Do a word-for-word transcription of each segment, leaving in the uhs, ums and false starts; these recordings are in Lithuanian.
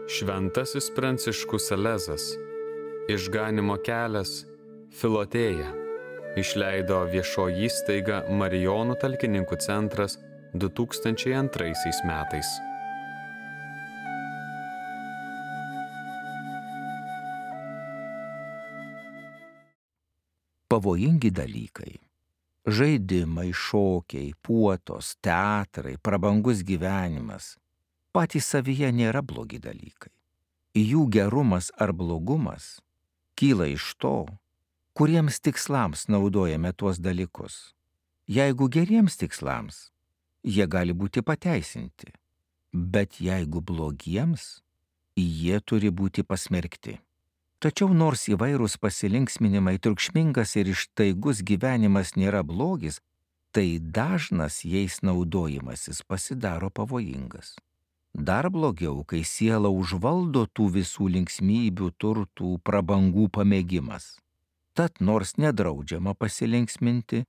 Šventasis Pranciškus Salezas, Išganymo kelias, Filotėja, išleido viešoji įstaiga Marijonų talkininkų centras du tūkstančiai antraisiais metais. Pavojingi dalykai. Žaidimai, šokiai, puotos, teatrai, prabangus gyvenimas patys savyje nėra blogi dalykai. Jų gerumas ar blogumas kyla iš to, kuriems tikslams naudojame tuos dalykus. Jeigu geriems tikslams, jie gali būti pateisinti, bet jeigu blogiems, jie turi būti pasmerkti. Tačiau nors įvairūs pasilinksminimai, triukšmingas ir ištaigus gyvenimas nėra blogis, tai dažnas jais naudojimasis pasidaro pavojingas. Dar blogiau, kai siela užvaldo tų visų linksmybių, turtų, prabangų pamėgimas. Tad nors nedraudžiama pasilinksminti,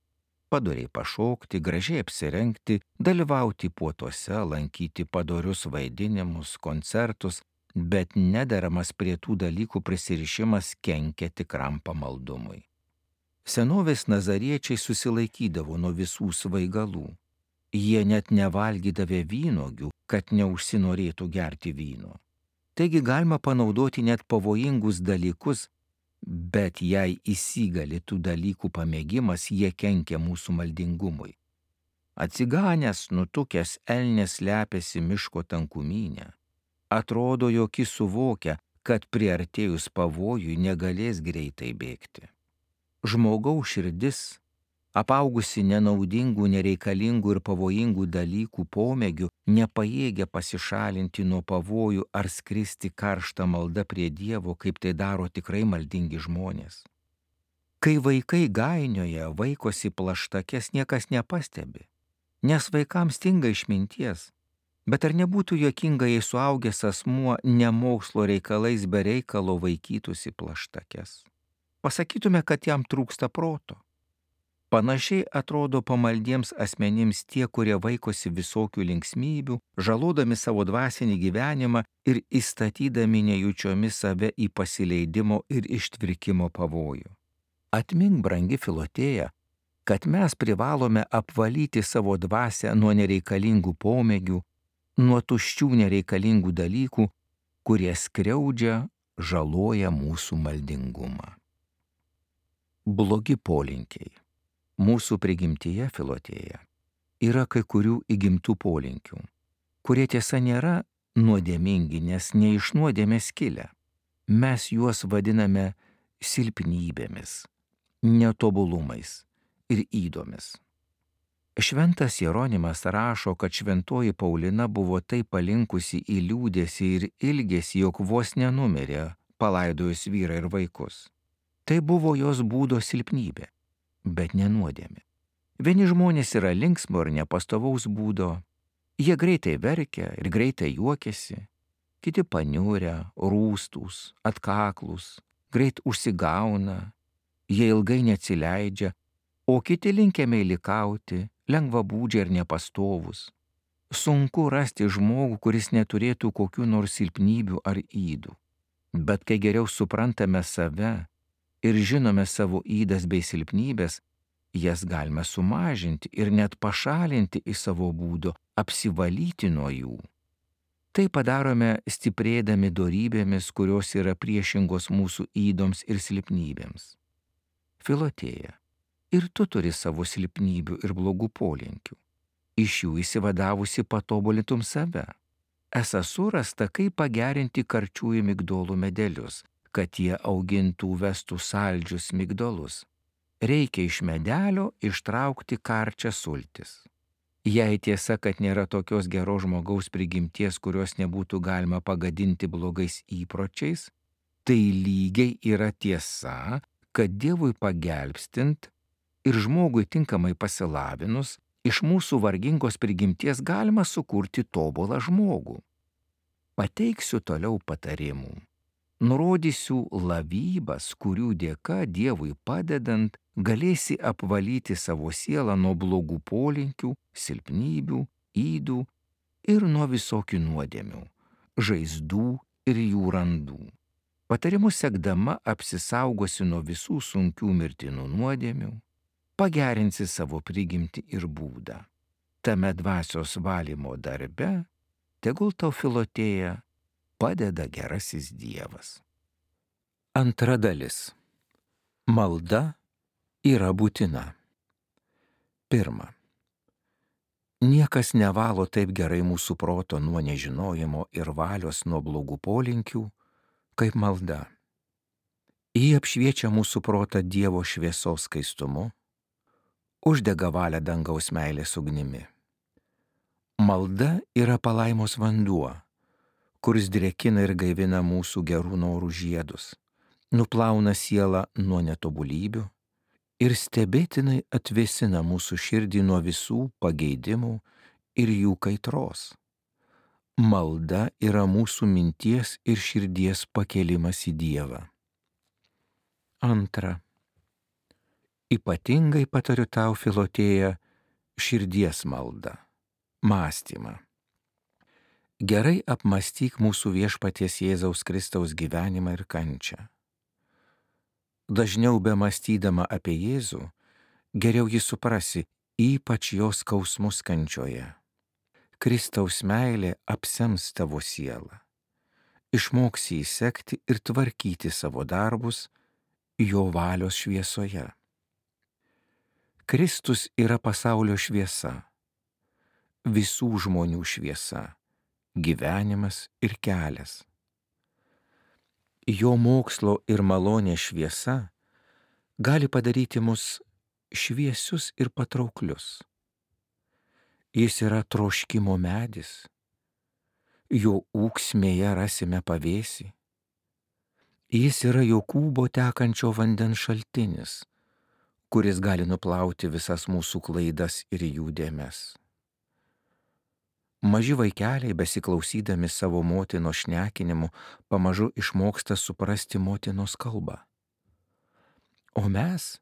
padoriai pašokti, gražiai apsirengti, dalyvauti puotuose, lankyti padorius vaidinimus, koncertus, bet nederamas prie tų dalykų prisirišimas kenkia tikram pamaldumui. Senovės nazariečiai susilaikydavo nuo visų svaigalų. Jie net nevalgydavė vynuogių, kad neužsinorėtų gerti vyno. Taigi galima panaudoti net pavojingus dalykus, bet jei įsigali tų dalykų pamėgimas, jie kenkia mūsų maldingumui. Atsiganęs, nutukęs elnias slepiasi miško tankumynę. Atrodo, jog jis suvokia, kad priartėjus pavojui negalės greitai bėgti. Žmogaus širdis, apaugusi nenaudingų, nereikalingų ir pavojingų dalykų pomėgių, nepajėgia pasišalinti nuo pavojų ar skristi karštą maldą prie Dievo, kaip tai daro tikrai maldingi žmonės. Kai vaikai gainioja, vaikosi plaštakes, niekas nepastebi, nes vaikams stinga išminties. Bet ar nebūtų juokinga, jei suaugęs asmuo nemokslo reikalais be reikalo vaikytųsi plaštakes? Pasakytume, kad jam trūksta proto. Panašiai atrodo pamaldiems asmenims tie, kurie vaikosi visokių linksmybių, žalodami savo dvasinį gyvenimą ir įstatydami nejučiomis save į pasileidimo ir ištvirkimo pavojų. Atmink, brangi Filotėja, kad mes privalome apvalyti savo dvasią nuo nereikalingų pomėgių, nuo tuščių nereikalingų dalykų, kurie skriaudžia, žaloja mūsų maldingumą. Blogi polinkiai. Mūsų prigimtyje, Filotėja, yra kai kurių įgimtų polinkių, kurie tiesa nėra nuodėmingi, nes ne iš nuodėmės kilę. Mes juos vadiname silpnybėmis, netobulumais ir ydomis. Šventas Jeronimas rašo, kad šventoji Paulina buvo taip palinkusi į liūdėsį ir ilgesį, jog vos nenumirė, palaidojus vyrą ir vaikus. Tai buvo jos būdo silpnybė, bet ne nuodėmė. Vieni žmonės yra linksmo ir nepastovaus būdo, jie greitai verkia ir greitai juokiasi, kiti paniurę, rūstūs, atkaklūs, greit užsigauna, jie ilgai neatsileidžia, o kiti linkę meilikauti, lengvabūdžiai ir nepastovus. Sunku rasti žmogų, kuris neturėtų kokių nors silpnybių ar ydų. Bet kai geriau suprantame save ir žinome savo ydas bei silpnybės, jas galime sumažinti ir net pašalinti iš savo būdo, apsivalyti nuo jų. Tai padarome stiprėdami dorybėmis, kurios yra priešingos mūsų ydoms ir silpnybėms. Filotėja, ir tu turi savo silpnybių ir blogų polinkių. Iš jų įsivadavusi patobulintum save. Esą surasta, kaip pagerinti karčiųjų migdolų medelius, kad jie augintų vestų saldžius migdolus. Reikia iš medelio ištraukti karčią sultis. Jei tiesa, kad nėra tokios geros žmogaus prigimties, kurios nebūtų galima pagadinti blogais įpročiais, tai lygiai yra tiesa, kad Dievui pagelbstint ir žmogui tinkamai pasilavinus, iš mūsų vargingos prigimties galima sukurti tobulą žmogų. Pateiksiu toliau patarimų. Nurodysiu lavybas, kurių dėka Dievui padedant galėsi apvalyti savo sielą nuo blogų polinkių, silpnybių, ydų ir nuo visokių nuodėmių, žaizdų ir jų randų. Patarimus sekdama apsisaugosi nuo visų sunkių mirtinų nuodėmių, pagerinsi savo prigimtį ir būdą. Tame dvasios valymo darbe tegul tau Filotėja padeda gerasis Dievas. Antra dalis. Malda yra būtina. Pirma. Niekas nevalo taip gerai mūsų proto nuo nežinojimo ir valios nuo blogų polinkių, kaip malda. Ji apšviečia mūsų protą Dievo šviesos skaistumu, uždega valią dangaus meilės ugnimi. Malda yra palaimos vanduo, kuris drėkina ir gaivina mūsų gerų norų žiedus, nuplauna sielą nuo netobulybių ir stebėtinai atvėsina mūsų širdį nuo visų pageidimų ir jų kaitros. Malda yra mūsų minties ir širdies pakėlimas į Dievą. Antra. Ypatingai patariu tau, Filotėja, širdies maldą, mąstymą. Gerai apmąstyk mūsų Viešpaties Jėzaus Kristaus gyvenimą ir kančią. Dažniau bemąstydama apie Jėzų, geriau jį suprasi, ypač jo skausmus kančioje. Kristaus meilė apsems tavo sielą. Išmoksi įsekti ir tvarkyti savo darbus jo valios šviesoje. Kristus yra pasaulio šviesa, visų žmonių šviesa, gyvenimas ir kelias. Jo mokslo ir malonės šviesa gali padaryti mus šviesius ir patrauklius. Jis yra troškimo medis, jo ūksmėje rasime pavėsį. Jis yra Jokūbo tekančio vandens šaltinis, kuris gali nuplauti visas mūsų klaidas ir jų dėmes. Maži vaikeliai, besiklausydami savo motinos šnekinimu, pamažu išmoksta suprasti motinos kalbą. O mes,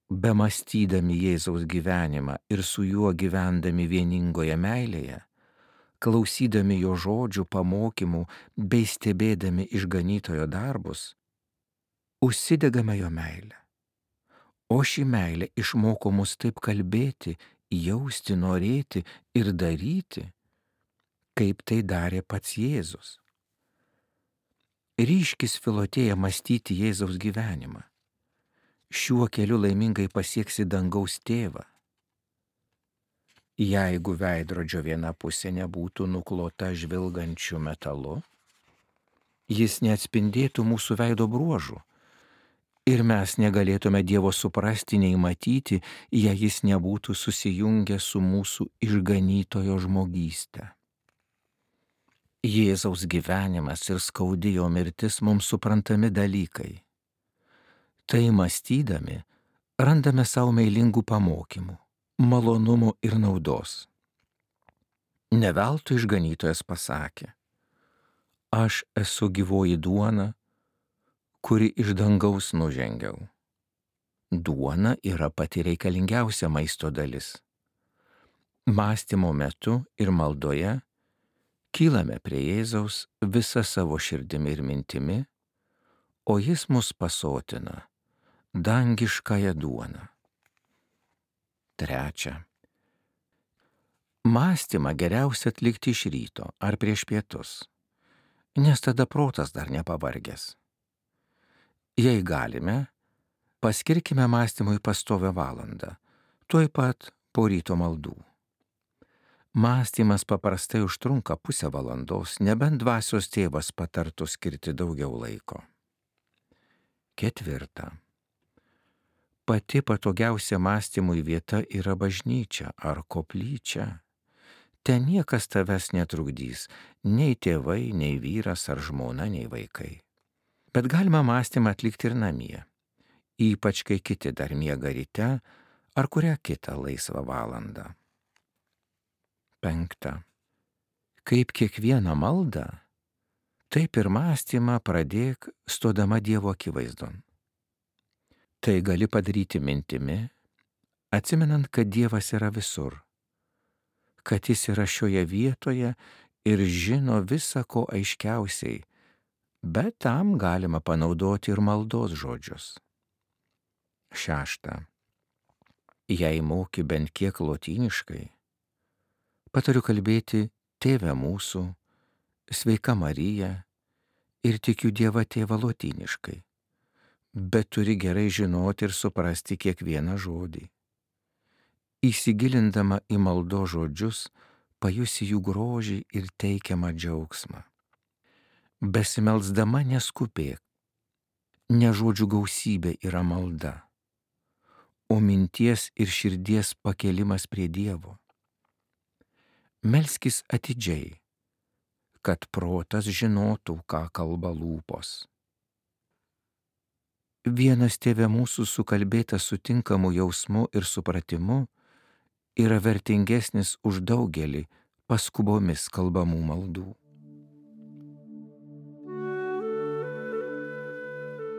bemąstydami Jėzaus gyvenimą ir su juo gyvendami vieningoje meilėje, klausydami jo žodžių, pamokymų bei stebėdami išganytojo darbus, užsidegame jo meilę. O ši meilė išmoko mus taip kalbėti, jausti, norėti ir daryti, kaip tai darė pats Jėzus. Ryškis, Filotėja, mąstyti Jėzaus gyvenimą. Šiuo keliu laimingai pasieksi dangaus tėvą. Jeigu veidrodžio viena pusė nebūtų nuklota žvilgančiu metalu, jis neatspindėtų mūsų veido bruožų ir mes negalėtume Dievo suprasti nei matyti, jei jis nebūtų susijungęs su mūsų išganytojo žmogyste. Jėzaus gyvenimas ir skaudi jo mirtis mums suprantami dalykai. Tai mąstydami randame savo meilingų pamokymų, malonumų ir naudos. Ne veltui išganytojas pasakė: aš esu gyvoji duona, kuri iš dangaus nužengiau. Duona yra pati reikalingiausia maisto dalis. Mąstymo metu ir maldoje kylame prie Jėzaus visą savo širdimi ir mintimi, o jis mus pasotina dangiškąją duoną. Trečia. Mąstymą geriausia atlikti iš ryto ar prieš pietus, nes tada protas dar nepavargęs. Jei galime, paskirkime mąstymui pastovią valandą, tuoj pat po ryto maldų. Mąstymas paprastai užtrunka pusę valandos, nebent dvasios tėvas patartų skirti daugiau laiko. Ketvirta. Pati patogiausia mąstymui vieta yra bažnyčia ar koplyčia. Ten niekas tavęs netrukdys, nei tėvai, nei vyras ar žmona, nei vaikai. Bet galima mąstymą atlikti ir namie, ypač kai kiti dar miega ryte ar kurią kitą laisvą valandą. Penkta. Kaip kiekvieną maldą, taip ir mąstymą pradėk stodama Dievo akivaizdon. Tai gali padaryti mintimi, atsimenant, kad Dievas yra visur, kad jis yra šioje vietoje ir žino visa ko aiškiausiai, bet tam galima panaudoti ir maldos žodžius. Šešta. Jei moki bent kiek lotyniškai, patariu kalbėti Tėve mūsų, Sveika Marija ir tikiu Dievą Tėvą lotyniškai, bet turi gerai žinoti ir suprasti kiekvieną žodį. Įsigilindama į maldos žodžius, pajusi jų grožį ir teikiamą džiaugsmą. Besimelsdama neskubėk, ne žodžių gausybė yra malda, o minties ir širdies pakėlimas prie Dievo. Melskis atidžiai, kad protas žinotų, ką kalba lūpos. Vienas Tėve mūsų sukalbėtas sutinkamu jausmu ir supratimu yra vertingesnis už daugelį paskubomis kalbamų maldų.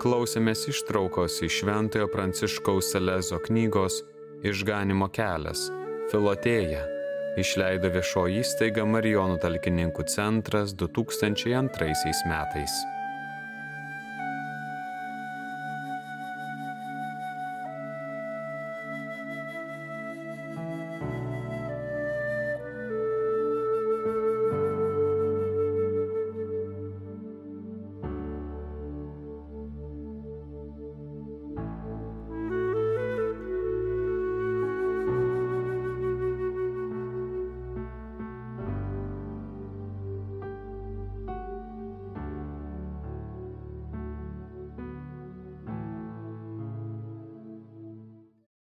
Klausėmės ištraukos iš Šventojo Pranciškaus Salezo knygos Išganymo kelias – Filotėja. Išleido viešoji įstaiga Marijonų talkininkų centras du tūkstančiai antraisiais metais.